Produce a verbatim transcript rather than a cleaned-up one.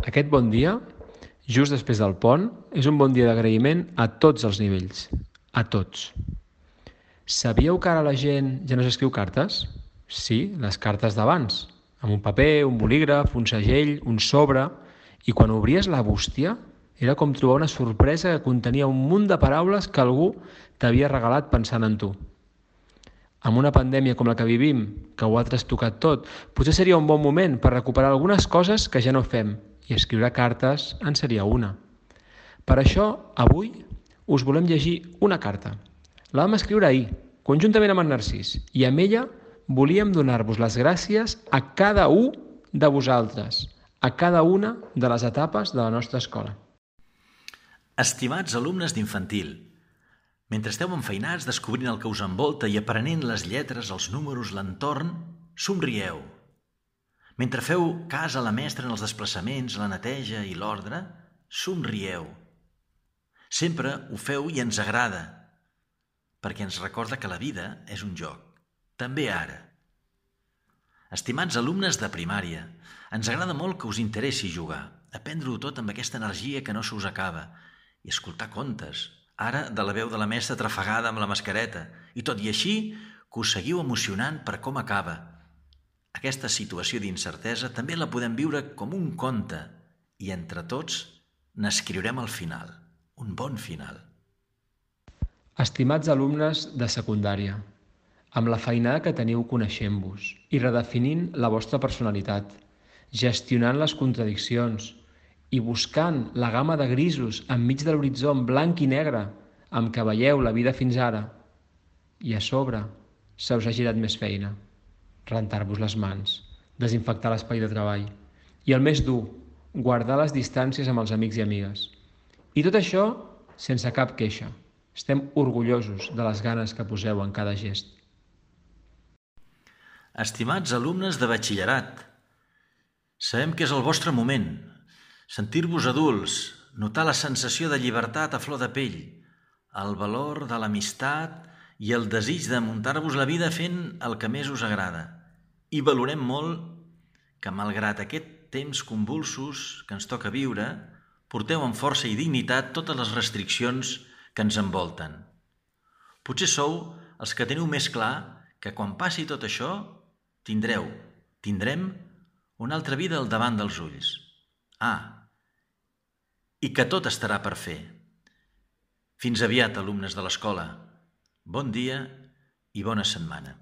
Aquest bon dia, just després del pont, és un bon dia d'agraïment a tots els nivells. A tots. Sabíeu que ara la gent ja no s'escriu cartes? Sí, les cartes d'abans, amb un paper, un bolígraf, un segell, un sobre, i quan obries la bústia era com trobar una sorpresa que contenia un munt de paraules que algú t'havia regalat pensant en tu. Amb una pandèmia com la que vivim, que ho ha trastocat tot, potser seria un bon moment per recuperar algunes coses que ja no fem, i escriure cartes en seria una. Per això, avui, us volem llegir una carta. La vam escriure ahir, conjuntament amb en Narcís, i amb ella volíem donar-vos les gràcies a cada un de vosaltres, a cada una de les etapes de la nostra escola. Estimats alumnes d'infantil, mentre esteu enfeinats descobrint el que us envolta i aprenent les lletres, els números, l'entorn, somrieu. Mentre feu cas a la mestra en els desplaçaments, la neteja i l'ordre, somrieu. Sempre ho feu i ens agrada, perquè ens recorda que la vida és un joc, també ara. Estimats alumnes de primària, ens agrada molt que us interessi jugar, aprendre-ho tot amb aquesta energia que no se us acaba, i escoltar contes, ara de la veu de la mestra trafegada amb la mascareta, i tot i així que us seguiu emocionant per com acaba. Aquesta situació d'incertesa també la podem viure com un conte, i entre tots n'escriurem el final, un bon final. Estimats alumnes de secundària, amb la feinada que teniu coneixent-vos i redefinint la vostra personalitat, gestionant les contradiccions i buscant la gamma de grisos enmig de l'horitzó blanc i negre amb què veieu la vida fins ara, i a sobre se us ha girat més feina, rentar-vos les mans, desinfectar l'espai de treball i el més dur, guardar les distàncies amb els amics i amigues. I tot això sense cap queixa. Estem orgullosos de les ganes que poseu en cada gest. Estimats alumnes de batxillerat, sabem que és el vostre moment. Sentir-vos adults, notar la sensació de llibertat a flor de pell, el valor de l'amistat i el desig de muntar-vos la vida fent el que més us agrada. I valorem molt que, malgrat aquest temps convulsos que ens toca viure, porteu amb força i dignitat totes les restriccions que ens envolten. Potser sou els que teniu més clar que quan passi tot això tindreu, tindrem una altra vida al davant dels ulls. Ah, i que tot estarà per fer. Fins aviat, alumnes de l'escola. Bon dia i bona setmana.